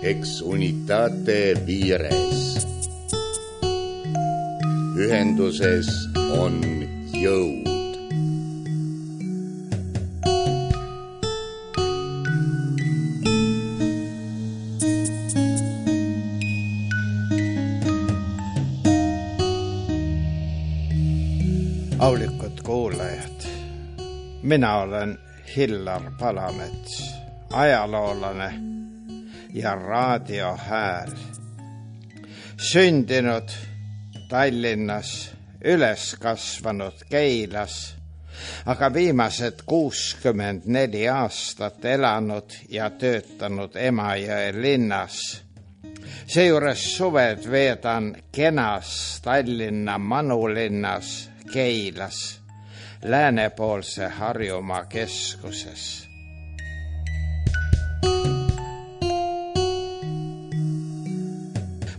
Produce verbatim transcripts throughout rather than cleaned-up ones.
Ex unitate vires. Ühenduses on jõud. Aulikud kuulajad, mina olen Hillar Palamets, ajaloolane ja raadiohääl. Sündinud Tallinnas, üles kasvanud Keilas, aga viimased kuuskümmend neli aastat elanud ja töötanud Emajõe linnas. Seejuures suved veedan kenas Tallinna manulinnas Keilas, läänepoolse Harjumaa keskuses.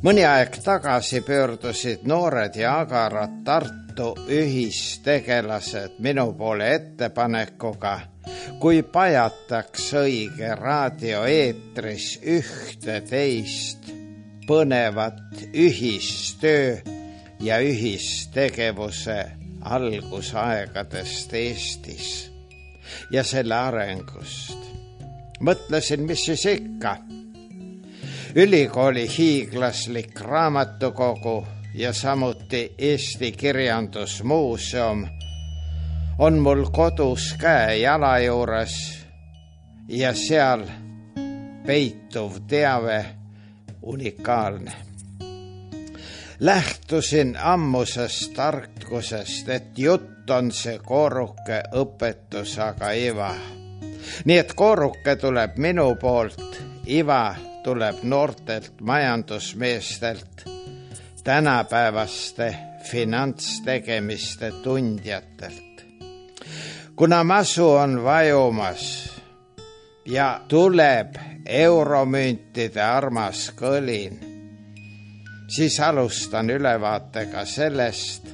Mõni aeg tagasi pöördusid noored ja agarad Tartu ühistegelased minu poole ettepanekuga, kui pajataks õige raadioeetris ühte teist põnevat ühistöö ja ühistegevuse algusaegadest Eestis ja selle arengust. Mõtlesin, mis siis ikka. Ülikooli hiiglaslik raamatukogu ja samuti Eesti Kirjandusmuuseum on mul kodus käe jala juures ja seal peituv teave unikaalne. Lähtusin ammusest tarkusest, et jutt on see kooruke õpetus, aga iva. Nii et kooruke tuleb minu poolt, iva tuleb noortelt majandusmeestelt, tänapäevaste finantstegemiste tundjatelt. Kuna masu on vajumas ja tuleb euromüntide armas kõlin, siis alustan ülevaatega sellest,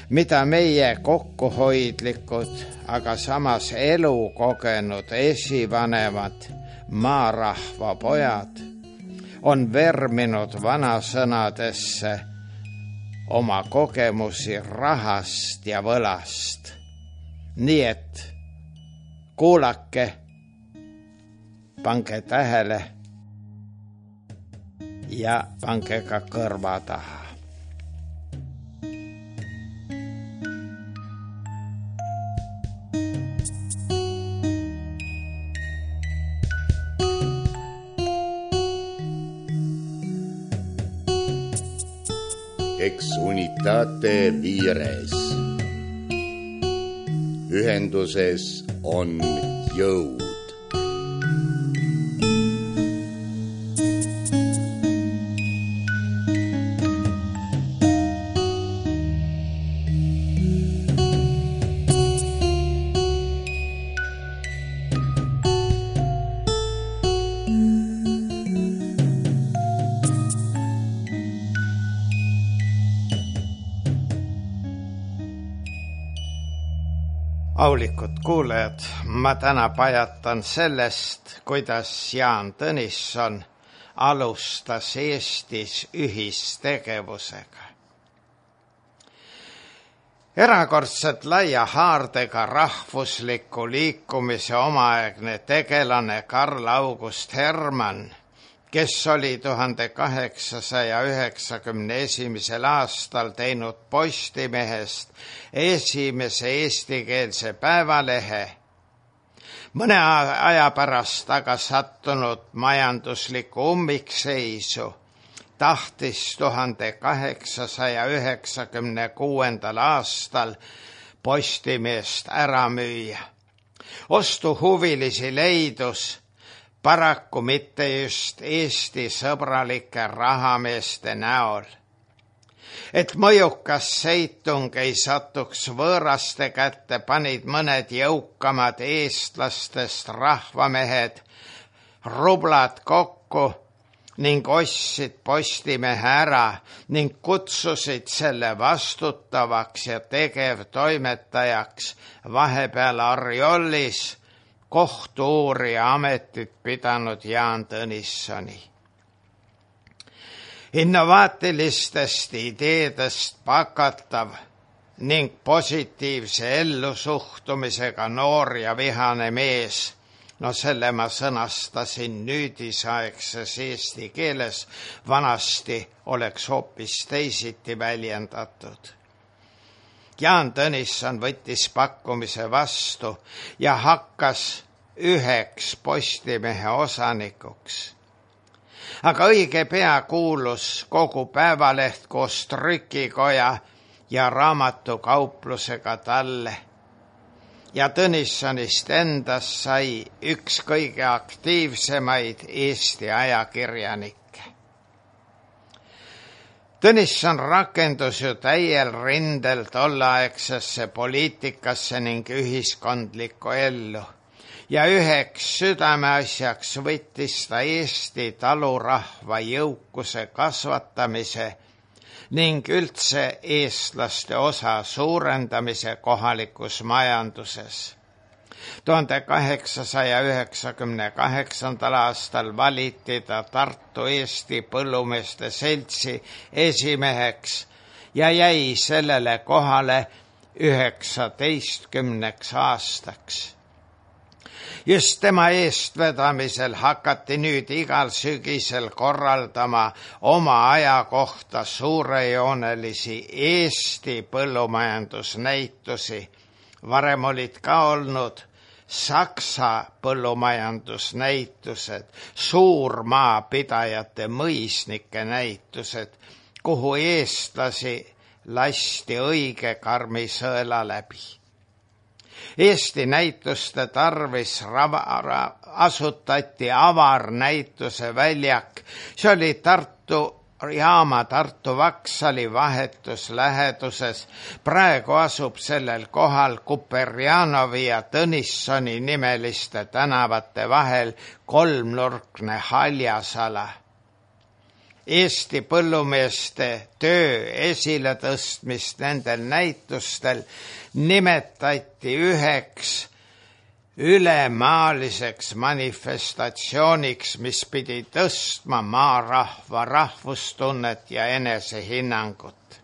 mida meie kokkuhoidlikud, aga samas elukogenud esivanemad maarahva pojad on verminud vanasõnadesse oma kogemusi rahast ja võlast. Nii et kuulake, pange tähele ja pange ka kõrva taha. Ex unitate vires. Ühenduses on jõud. Aulikud kuulajad, ma täna pajatan sellest, kuidas Jaan Tõnisson alustas Eestis ühistegevusega. Erakordselt laia haardega rahvusliku liikumise omaaegne tegelane Karl August Hermann, kes oli tuhande kaheksasaja üheksakümne esimesel aastal teinud Postimehest esimese eestikeelse päevalehe, mõne aja pärast aga sattunud majanduslikku ummikseisu, tahtis tuhande kaheksasaja üheksakümne kuuendal aastal Postimeest ära müüa. Ostuhuvilisi leidus, paraku mitte just Eesti sõbralike rahameeste näol. Et mõjukas seitung ei satuks võõraste kätte, panid mõned jõukamad eestlastest rahvamehed rublad kokku ning ostsid Postimehe ära ning kutsusid selle vastutavaks ja tegevtoimetajaks vahepeal Arjollis kohtu-uurija ametit pidanud Jaan Tõnissoni. innovaatilistest ideedest pakatav ning positiivse ellusuhtumisega noor ja vihane mees. No selle ma sõnastasin nüüdisaegses eesti keeles, vanasti oleks hoopis teisiti väljendatud. Jaan Tõnisson võttis pakkumise vastu ja hakkas üheks Postimehe osanikuks. Aga õige pea kuulus kogu Päevaleht koos trükikoja ja raamatukauplusega talle. Ja Tõnissonist endast sai üks kõige aktiivsemaid Eesti ajakirjanikke. Tõnisson rakendus ju täiel rindel tolleaegsesse poliitikasse ning ühiskondlikku ellu ja üheks südameasjaks võttis ta Eesti talurahva jõukuse kasvatamise ning üldse eestlaste osa suurendamise kohalikus majanduses. tuhande kaheksasaja üheksakümne kaheksandal aastal valiti ta Tartu Eesti Põllumeeste Seltsi esimeheks ja jäi sellele kohale üheksateistkümneks aastaks. Just tema eestvedamisel hakati nüüd igal sügisel korraldama oma aja kohta suurejoonelisi Eesti põllumajandusnäitusi. Varem olid ka olnud Saksa põllumajandusnäitused, suurmaapidajate mõisnike näitused, kuhu eestlasi lasti õige karmi sõela läbi. Eesti näituste tarvis rava, asutati avarnäituse väljak. See oli Tartu jaama Tartu Vaksali vahetus läheduses. Praegu asub sellel kohal Kuperjanovi ja Tõnissoni nimeliste tänavate vahel kolmnurkne haljasala. Eesti põllumeeste töö esiletõstmist nendel näitustel nimetati üheks ülemaaliseks manifestatsiooniks, mis pidi tõstma maarahva rahvustunnet ja enesehinnangut.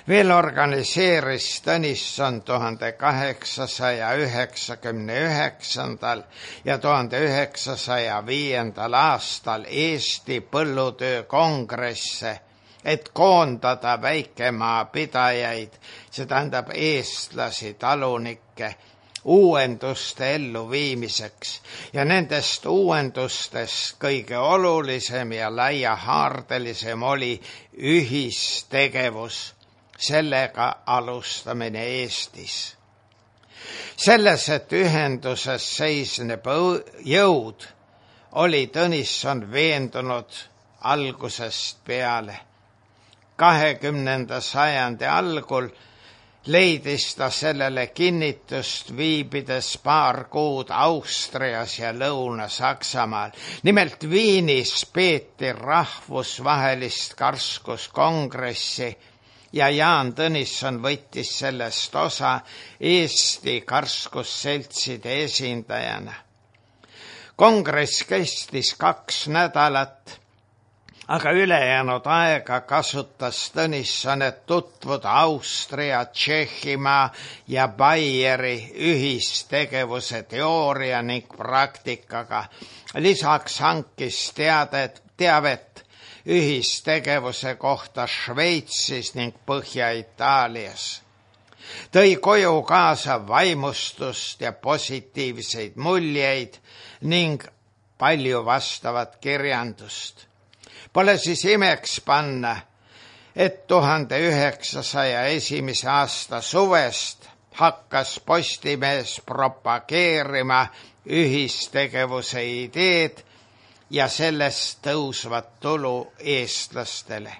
Veel organiseeris Tõnisson tuhande kaheksasaja üheksakümne üheksandal ja tuhande üheksasaja viiendal aastal Eesti põllutöö kongresse, et koondada väikemaapidajaid, see tähendab eestlasi, talunikke, uuenduste elluviimiseks ja nendest uuendustest kõige olulisem ja laiahaardelisem oli ühistegevus. Sellega alustamine Eestis. Selles, et ühenduses seisneb jõud, oli Tõnisson veendunud algusest peale. kahekümnenda sajandi algul leidis ta sellele kinnitust viibides paar kuud Austrias ja Lõuna-Saksamaal. Nimelt Viinis peeti rahvusvahelist karskuskongressi ja Jaan Tõnisson võttis sellest osa Eesti karskusseltside esindajana. Kongress kestis kaks nädalat, aga ülejäänud aega kasutas Tõnisson, et tutvuda Austria, Tšehhimaa ja Baieri ühistegevuse teooria ning praktikaga. Lisaks hankis teadet, teavet ühistegevuse kohta Šveitsis ning Põhja-Itaalias. Tõi koju kaasa vaimustust ja positiivseid muljeid ning palju vastavat kirjandust. Pole siis imeks panna, et tuhande üheksasaja esimese aasta suvest hakkas Postimees propageerima ühistegevuse ideed ja sellest tõusvat tulu eestlastele.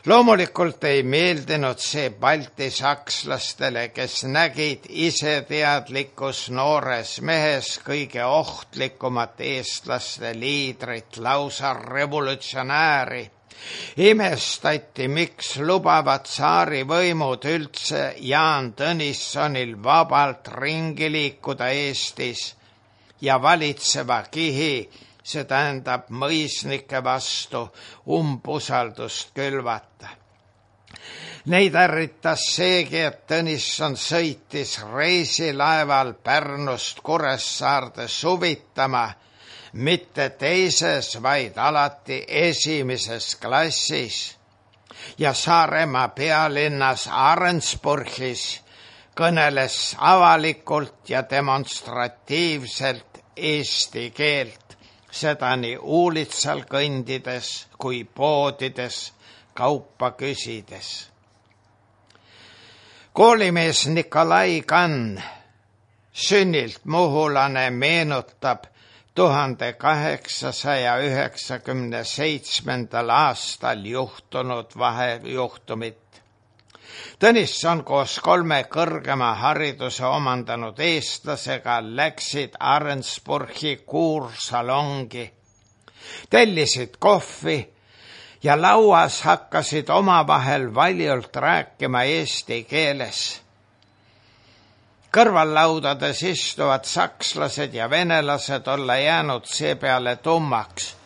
Loomulikult ei meeldinud see baltisakslastele, kes nägid iseteadlikus noores mehes kõige ohtlikumat eestlaste liidrit, lausa revolutsionääri. Imestati, miks lubavad tsaarivõimud üldse Jaan Tõnissonil vabalt ringi liikuda Eestis ja valitseva kihi see tähendab mõisnike vastu umbusaldust külvata. Neid ärritas seegi, et Tõnisson sõitis reisilaeval Pärnust Kuressaarde suvitama, mitte teises, vaid alati esimeses klassis ja Saaremaa pealinnas Arensburgis kõneles avalikult ja demonstratiivselt eesti keelt, seda nii uulitsal kõndides kui poodides kaupa küsides. Koolimees Nikolai Kann, sünnilt muhulane, meenutab tuhande kaheksasaja üheksakümne seitsmendal aastal juhtunud vahejuhtumit. Tõnisson koos kolme kõrgema hariduse omandanud eestlasega läksid Arensburgi kuursalongi, tellisid kohvi ja lauas hakkasid omavahel valjult rääkima eesti keeles. Kõrvallaudades istuvad sakslased ja venelased olla jäänud seepeale tummaks.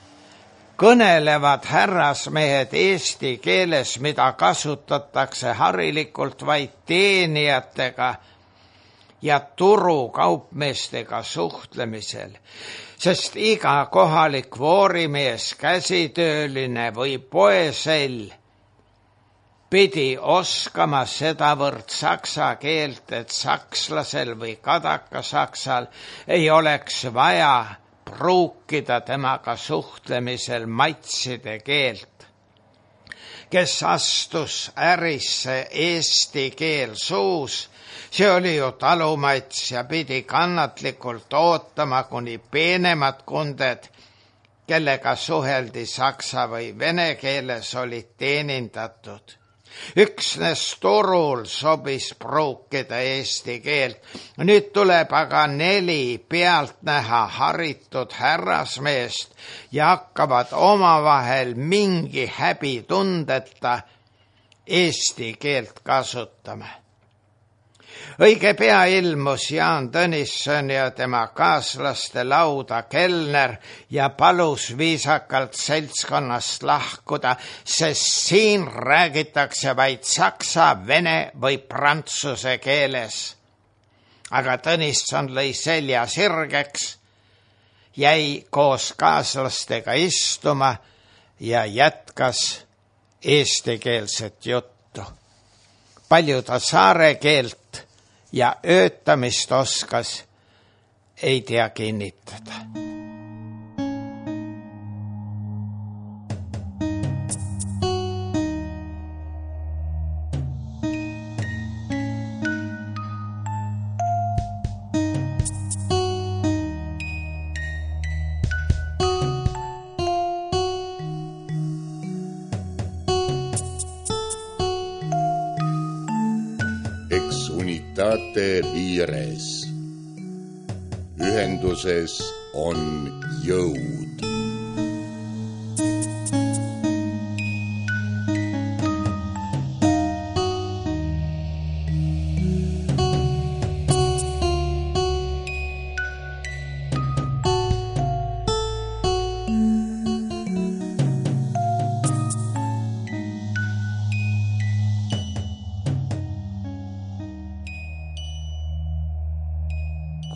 Kõnelevad härrasmehed eesti keeles, mida kasutatakse harilikult vaid teenijatega ja turukaupmeestega suhtlemisel, sest iga kohalik voorimees, käsitööline või poesell pidi oskama sedavõrd saksa keelt, et sakslasel või kadakasaksal ei oleks vaja pruukida temaga suhtlemisel matside keelt. Kes astus ärisse eesti keel suus, see oli ju talumats ja pidi kannatlikult ootama, kuni peenemad kunded, kellega suheldi saksa või vene keeles, olid teenindatud. Üksnes turul sobis pruukida eesti keelt. Nüüd tuleb aga neli pealtnäha haritud härrasmeest ja hakkavad omavahel mingi häbitundeta eesti keelt kasutama. Õige pea ilmus Jaan Tõnisson ja tema kaaslaste lauda kelner ja palus viisakalt seltskonnast lahkuda, sest siin räägitakse vaid saksa, vene või prantsuse keeles. Aga Tõnisson lõi selja sirgeks, jäi koos kaaslastega istuma ja jätkas eestikeelset juttu. Palju ta saare keelt ja öötamist oskas, ei tea kinnitada. Unitate vires. Ühenduses on jõud.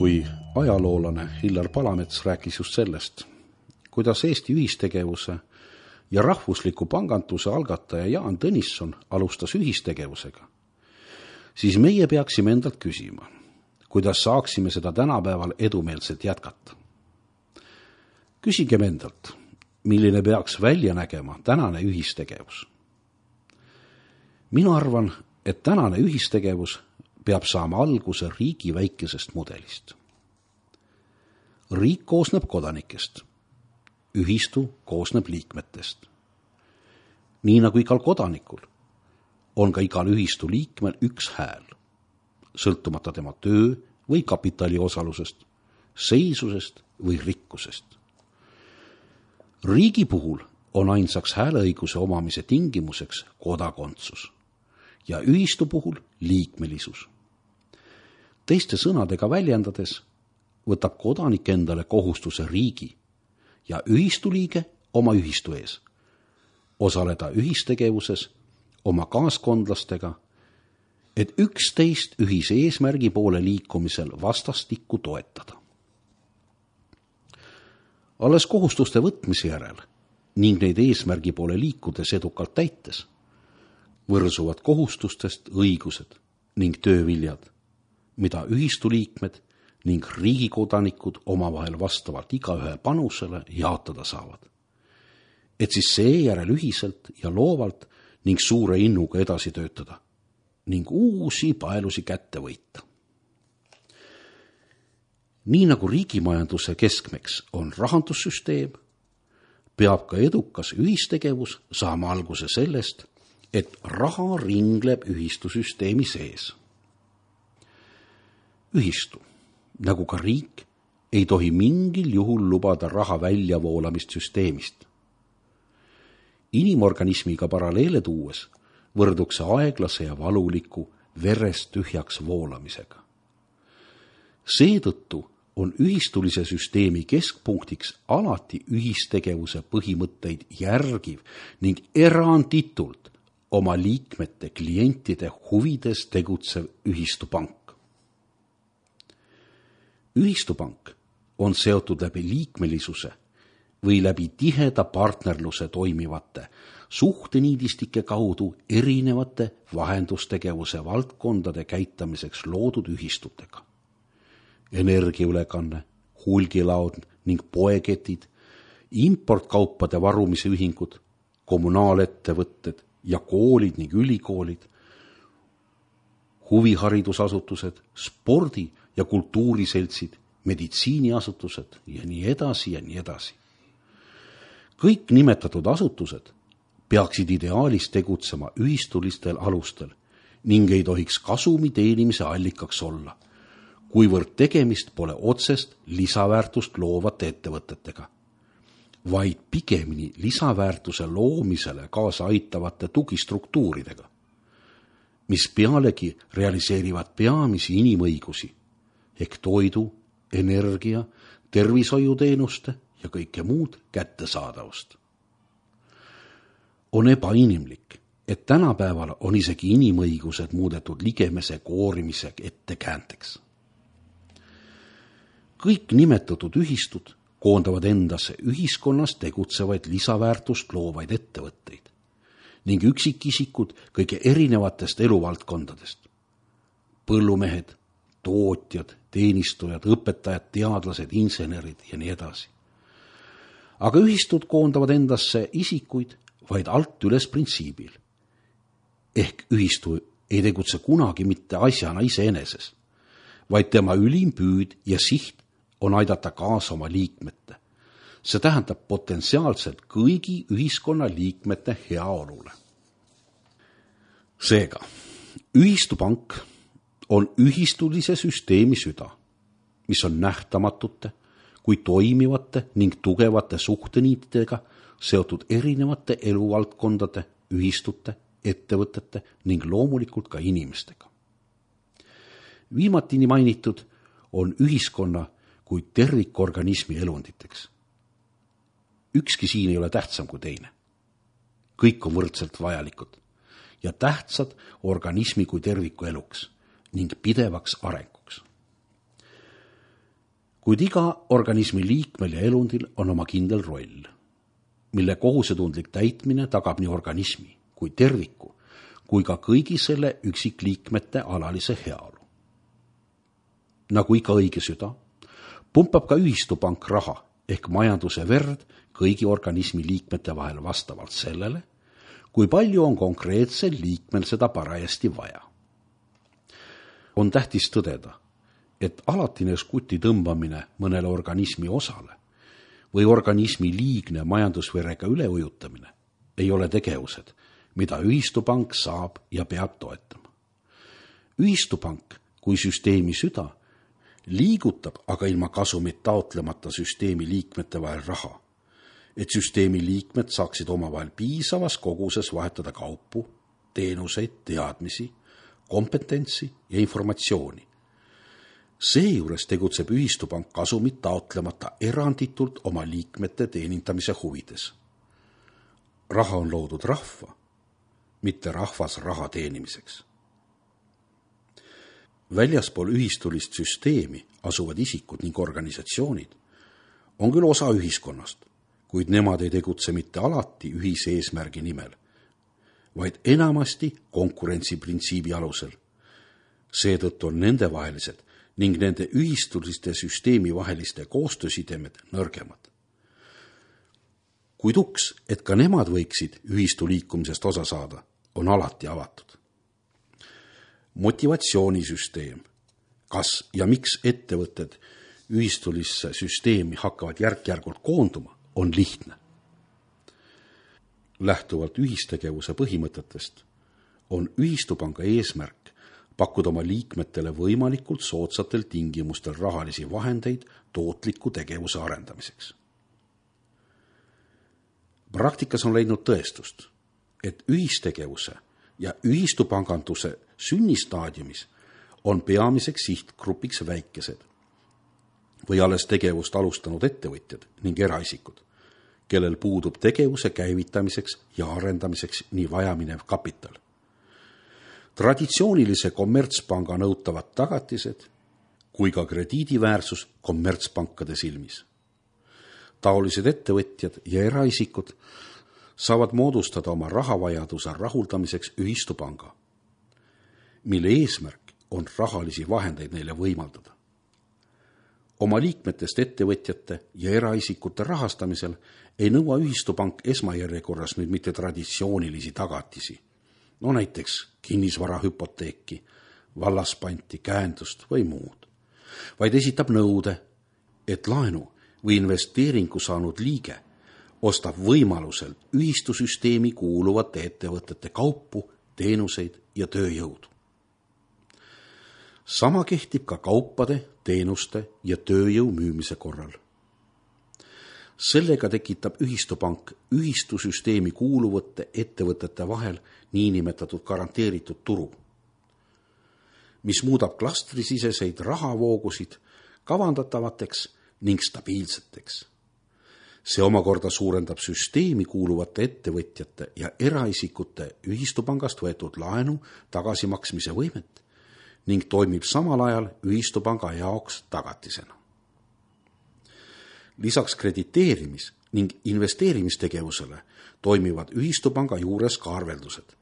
Kui ajaloolane Hillar Palamets rääkis just sellest, kuidas Eesti ühistegevuse ja rahvusliku panganduse algataja Jaan Tõnisson alustas ühistegevusega, siis meie peaksime endalt küsima, kuidas saaksime seda tänapäeval edumeelselt jätkata. Küsigem endalt, milline peaks välja nägema tänane ühistegevus. Mina arvan, et tänane ühistegevus peab saama alguse riigi väikesest mudelist. Riik koosneb kodanikest, ühistu koosneb liikmetest. Nii nagu igal kodanikul on ka igal ühistu liikmel üks hääl, sõltumata tema töö või kapitali osalusest, seisusest või rikkusest. Riigi puhul on ainsaks hääleõiguse omamise tingimuseks kodakondsus ja ühistu puhul liikmelisus. Teiste sõnadega väljendades võtab kodanik endale kohustuse riigi ja ühistuliige oma ühistu ees, osaleda ühistegevuses oma kaaskondlastega, et üksteist ühise eesmärgi poole liikumisel vastastikku toetada. Alles kohustuste võtmise järel ning neid eesmärgi poole liikudes edukalt täites, võrsuvad kohustustest õigused ning tööviljad, mida ühistuliikmed ning riigikodanikud omavahel vastavalt igaühe panusele jaotada saavad. Et siis seejärel ühiselt ja loovalt ning suure innuga edasi töötada ning uusi paelusi kätte võita. Nii nagu riigimajanduse keskmeks on rahandussüsteem, peab ka edukas ühistegevus saama alguse sellest, et raha ringleb ühistusüsteemi sees. Ühistu, nagu ka riik, ei tohi mingil juhul lubada raha väljavoolamist süsteemist. Inimorganismiga paralleele tuues võrduks aeglase ja valuliku verest tühjaks voolamisega. Seetõttu on ühistulise süsteemi keskpunktiks alati ühistegevuse põhimõtteid järgiv ning eranditult oma liikmete klientide huvides tegutsev ühistupank. Ühistupank on seotud läbi liikmelisuse või läbi tiheda partnerluse toimivate suhteniidistike kaudu erinevate vahendustegevuse valdkondade käitamiseks loodud ühistutega. Energiaülekanne, hulgilaod ning poeketid, importkaupade varumise ühingud, kommunaalettevõtted ja koolid ning ülikoolid, huviharidusasutused, spordi- ja kultuuriseltsid, meditsiiniasutused ja nii edasi ja nii edasi. Kõik nimetatud asutused peaksid ideaalis tegutsema ühistulistel alustel ning ei tohiks kasumi teenimise allikaks olla, kuivõrd tegemist pole otsest lisaväärtust loovate ettevõtetega, vaid pigemini lisaväärtuse loomisele kaasa aitavate tugistruktuuridega, mis pealegi realiseerivad peamisi inimõigusi ehk toidu, energia, tervishoiuteenuste ja kõike muud kättesaadavust. On ebainimlik, et tänapäeval on isegi inimõigused muudetud ligemese koorimise ettekäänteks. Kõik nimetatud ühistud koondavad endasse ühiskonnas tegutsevaid lisaväärtust loovaid ettevõtteid ning üksikisikud kõige erinevatest eluvaldkondadest. Põllumehed, tootjad, teenistujad, õpetajad, teadlased, insenerid ja nii edasi. Aga ühistud koondavad endasse isikuid vaid alt üles printsiibil. Ehk ühistu ei tegutse kunagi mitte asjana iseeneses, vaid tema ülim püüd ja siht on aidata kaasa oma liikmete. See tähendab potentsiaalselt kõigi ühiskonna liikmete heaolule. Seega, ühistupank on ühistulise süsteemi süda, mis on nähtamatute, kui toimivate ning tugevate suhteniitidega seotud erinevate eluvaldkondade, ühistute, ettevõtete ning loomulikult ka inimestega. Viimatini mainitud on ühiskonna kui tervikorganismi elunditeks. Ükski siin ei ole tähtsam kui teine. Kõik on võrdselt vajalikud ja tähtsad organismi kui terviku eluks ning pidevaks arenguks. Kuid iga organismi liikmel ja elundil on oma kindel roll, mille kohusetundlik täitmine tagab nii organismi kui terviku kui ka kõigi selle üksikliikmete alalise heaolu. Nagu iga õige süda, pumpab ka ühistupank raha ehk majanduse verd kõigi organismi liikmete vahel vastavalt sellele, kui palju on konkreetsel liikmel seda parajasti vaja. On tähtis tõdeda, et alatine skuti tõmbamine mõnele organismi osale või organismi liigne majandusverega üleujutamine ei ole tegevused, mida ühistupank saab ja peab toetama. Ühistupank kui süsteemi süda liigutab aga ilma kasumit taotlemata süsteemi liikmete vahel raha, et süsteemi liikmed saaksid omavahel piisavas koguses vahetada kaupu, teenuseid, teadmisi, kompetentsi ja informatsiooni, Seejuures tegutseb ühistupank kasumit taotlemata eranditult oma liikmete teenindamise huvides. Raha on loodud rahva, mitte rahvas raha teenimiseks. Väljaspool ühistulist süsteemi asuvad isikud ning organisatsioonid on küll osa ühiskonnast, kuid nemad ei tegutse mitte alati ühise eesmärgi nimel, vaid enamasti konkurentsiprintsiibi alusel. Seetõttu on nendevahelised ning nende ühistuliste süsteemi vaheliste koostöösidemed nõrgemad. Kuid uks, et ka nemad võiksid ühistu liikumisest osa saada, on alati avatud. Motivatsioonisüsteem, kas ja miks ettevõtted ühistulisse süsteemi hakkavad järk-järgult koonduma, on lihtne. Lähtuvalt ühistegevuse põhimõtetest on ühistupanga eesmärk pakkuda oma liikmetele võimalikult soodsatel tingimustel rahalisi vahendeid tootliku tegevuse arendamiseks. Praktikas on leidnud tõestust, et ühistegevuse ja ühistupanganduse sünnistaadiumis on peamiseks sihtgrupiks väikesed või alles tegevust alustanud ettevõtjad ning eraisikud, kellel puudub tegevuse käivitamiseks ja arendamiseks nii vajaminev kapital. Traditsioonilise kommertspanga nõutavad tagatised kui ka krediidiväärsus kommertspankade silmis. Taolised ettevõtjad ja eraisikud saavad moodustada oma rahavajaduse rahuldamiseks ühistupanga, mille eesmärk on rahalisi vahendeid neile võimaldada. Oma liikmetest ettevõtjate ja eraisikute rahastamisel ei nõua ühistupank esmajärjekorras nüüd mitte traditsioonilisi tagatisi, no näiteks kinnisvarahüpoteeki, vallaspanti, käendust või muud, vaid esitab nõude, et laenu või investeeringu saanud liige ostab võimalusel ühistusüsteemi kuuluvate ettevõtete kaupu, teenuseid ja tööjõudu. Sama kehtib ka kaupade, teenuste ja tööjõu müümise korral. Sellega tekitab ühistupank ühistusüsteemi kuuluvate ettevõtete vahel niinimetatud garanteeritud turu, mis muudab klastrisiseseid rahavoogusid kavandatavateks ning stabiilseteks. See omakorda suurendab süsteemi kuuluvate ettevõtjate ja eraisikute ühistupangast võetud laenu tagasimaksmise võimet ning toimib samal ajal ühistupanga jaoks tagatisena. Lisaks krediteerimis- ning investeerimistegevusele toimivad ühistupanga juures ka arveldused,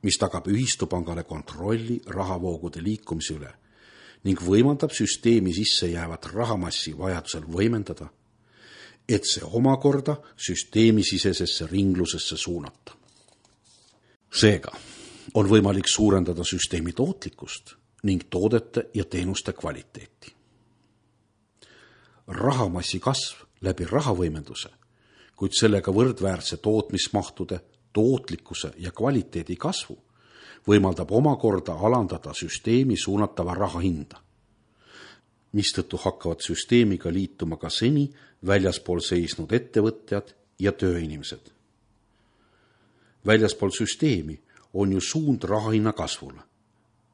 mis tagab ühistupangale kontrolli rahavoogude liikumise üle ning võimaldab süsteemi sisse jäävat rahamassi vajadusel võimendada, et see omakorda süsteemisisesesse ringlusesse suunata. Seega on võimalik suurendada süsteemi tootlikkust ning toodete ja teenuste kvaliteeti. Rahamassi kasv läbi rahavõimenduse, kuid sellega võrdväärse tootmismahtude, tootlikkuse ja kvaliteedi kasvu võimaldab omakorda alandada süsteemi suunatava raha hinda, mistõttu hakkavad süsteemiga liituma ka seni väljaspool seisnud ettevõtjad ja tööinimesed. Väljaspool süsteemi on ju suund rahahinna kasvule,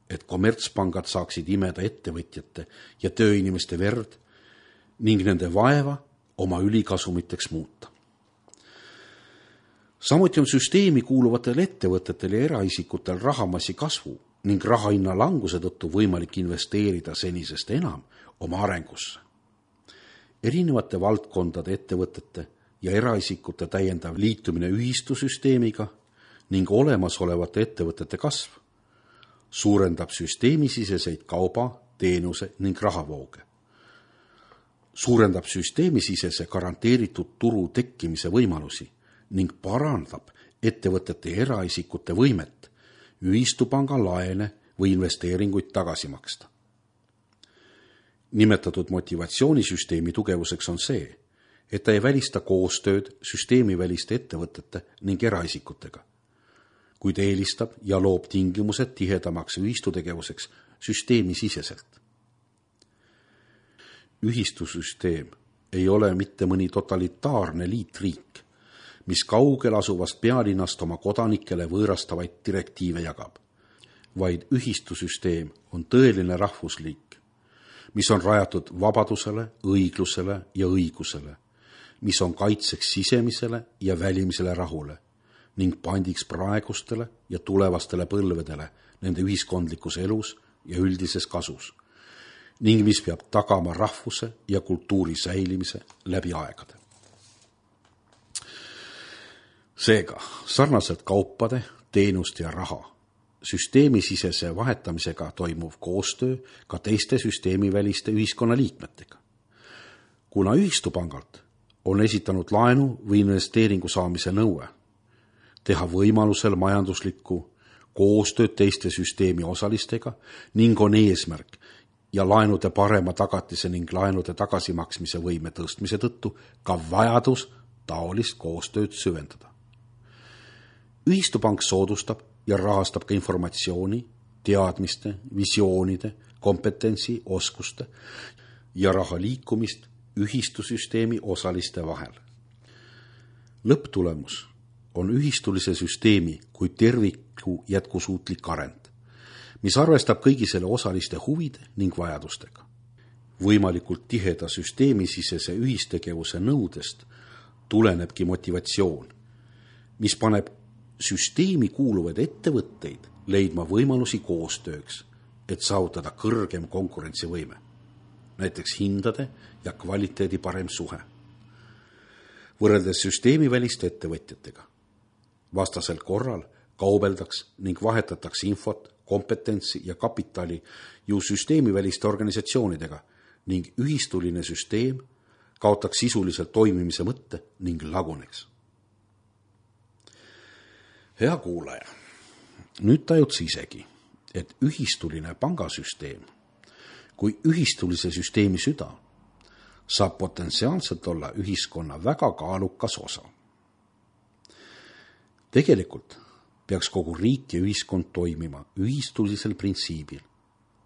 et kommertspangad saaksid imeda ettevõtjate ja tööinimeste verd ning nende vaeva oma ülikasumiteks muuta. Samuti on süsteemi kuuluvatel ettevõtetel ja eraisikutel rahamassi kasvu ning rahahinna languse tõttu võimalik investeerida senisest enam oma arengusse. Erinevate valdkondade ettevõtete ja eraisikute täiendav liitumine ühistusüsteemiga ning olemasolevate ettevõtete kasv suurendab süsteemisiseseid kauba, teenuse ning rahavooge. Suurendab süsteemisisese garanteeritud turu tekkimise võimalusi ning parandab ettevõtete ja eraisikute võimet ühistupanga laene või investeeringuid tagasi maksta. Nimetatud motivatsioonisüsteemi tugevuseks on see, et ta ei välista koostööd süsteemiväliste ettevõtete ning eraisikutega, kuid eelistab ja loob tingimused tihedamaks ühistutegevuseks süsteemisiseselt. Ühistusüsteem ei ole mitte mõni totalitaarne liitriik, mis kaugel asuvast pealinnast oma kodanikele võõrastavaid direktiive jagab, vaid ühistusüsteem on tõeline rahvusliik, mis on rajatud vabadusele, õiglusele ja õigusele, mis on kaitseks sisemisele ja välimisele rahule ning pandiks praegustele ja tulevastele põlvedele nende ühiskondlikus elus ja üldises kasus ning mis peab tagama rahvuse ja kultuuri säilimise läbi aegade. Seega, sarnaselt kaupade, teenuste ja raha, süsteemisisese vahetamisega toimuv koostöö ka teiste süsteemiväliste ühiskonnaliikmetega. Kuna ühistupangalt on esitanud laenu või investeeringu saamise nõue, teha võimalusel majanduslikku koostööd teiste süsteemi osalistega ning on eesmärk ja laenude parema tagatise ning laenude tagasimaksmise võime tõstmise tõttu ka vajadus taolist koostööd süvendada. Ühistupank soodustab ja rahastab ka informatsiooni, teadmiste, visioonide, kompetentsi, oskuste ja raha liikumist ühistusüsteemi osaliste vahel. Lõpptulemus on ühistulise süsteemi kui terviku jätkusuutlik arend, mis arvestab kõigi selle osaliste huvide ning vajadustega. Võimalikult tiheda süsteemisisese ühistegevuse nõudest tulenebki motivatsioon, mis paneb süsteemi kuuluvaid ettevõtteid leidma võimalusi koostööks, et saavutada kõrgem konkurentsivõime, näiteks hindade ja kvaliteedi parem suhe. Võrreldes süsteemiväliste ettevõtjatega, vastasel korral kaubeldaks ning vahetataks infot, kompetentsi ja kapitali ju süsteemiväliste organisatsioonidega ning ühistuline süsteem kaotaks sisuliselt toimimise mõtte ning laguneks. Hea kuulaja, nüüd tajud sa isegi, et ühistuline pangasüsteem kui ühistulise süsteemi süda saab potentsiaalselt olla ühiskonna väga kaalukas osa. Tegelikult peaks kogu riik ja ühiskond toimima ühistulisel printsiibil,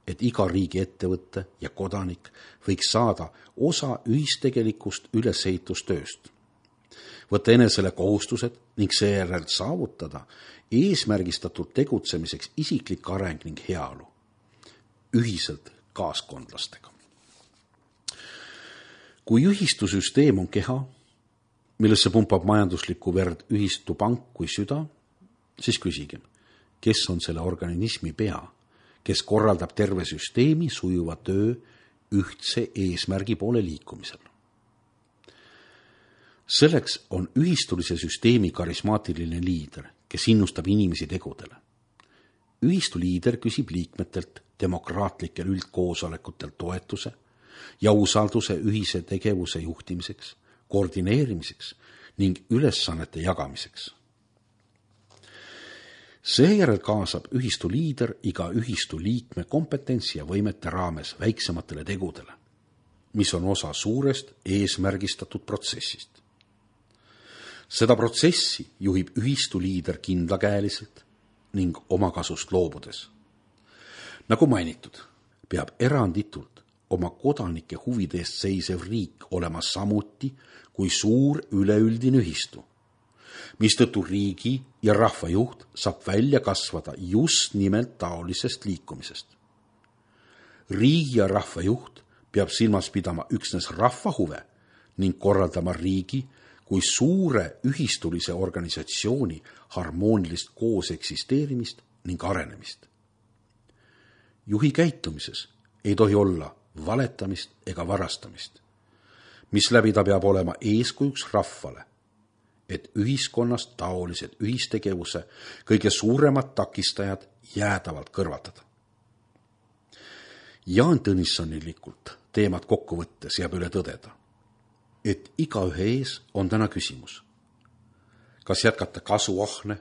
et iga riigi ettevõtte ja kodanik võiks saada osa ühistegelikust ülesehitustööst, võtta enesele kohustused ning seejärel saavutada eesmärgistatud tegutsemiseks isiklik areng ning heaolu, ühiselt kaaskondlastega. Kui ühistusüsteem on keha, millesse pumpab majanduslikku verd ühistupank kui süda, siis küsigem, kes on selle organismi pea, kes korraldab terve süsteemi sujuva töö ühtse eesmärgi poole liikumisel. Selleks on ühistulise süsteemi karismaatiline liider, kes innustab inimesi tegudele. Ühistu liider küsib liikmetelt demokraatlikel üldkoosolekutel toetuse ja usalduse ühise tegevuse juhtimiseks, koordineerimiseks ning ülesannete jagamiseks. Seejärel kaasab ühistu liider iga ühistu liikme kompetentsi ja võimete raames väiksematele tegudele, mis on osa suurest eesmärgistatud protsessist. Seda protsessi juhib ühistu liider kindlakäeliselt ning omakasust loobudes. Nagu mainitud, peab eranditult oma kodanike huvide eest seisev riik olema samuti kui suur üleüldine ühistu, mistõttu riigi ja rahva juht saab välja kasvada just nimelt taolisest liikumisest. Riigi ja rahva juht peab silmas pidama üksnes rahva huve ning korraldama riigi kui suure ühistulise organisatsiooni harmoonilist koos eksisteerimist ning arenemist. Juhi käitumises ei tohi olla valetamist ega varastamist, mis läbi ta peab olema eeskujuks rahvale, et ühiskonnast taolised ühistegevuse kõige suuremad takistajad jäädavalt kõrvatada. Jaan Tõnissonilikult teemat kokku võttes jääb üle tõdeda, et igaühe ees on täna küsimus, kas jätkata kasuahne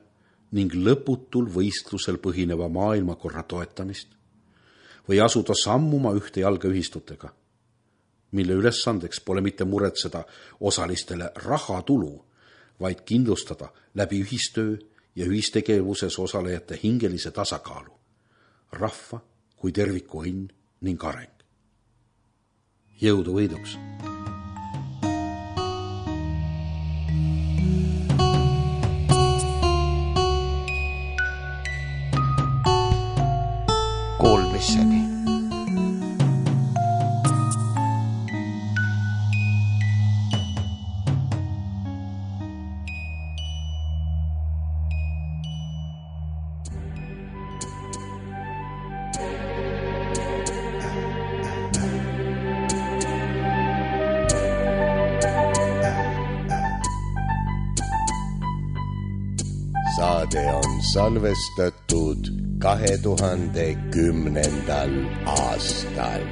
ning lõputul võistlusel põhineva maailmakorra toetamist või asuda sammuma ühte jalga ühistutega, mille ülesandeks pole mitte muretseda osalistele rahatulu, vaid kindlustada läbi ühistöö ja ühistegevuses osalejate hingelise tasakaalu, rahva kui terviku õnn ning areng. Jõudu võiduks! Kuulmiseni. saade on salvestatud kahe tuhande kümnendal aastal.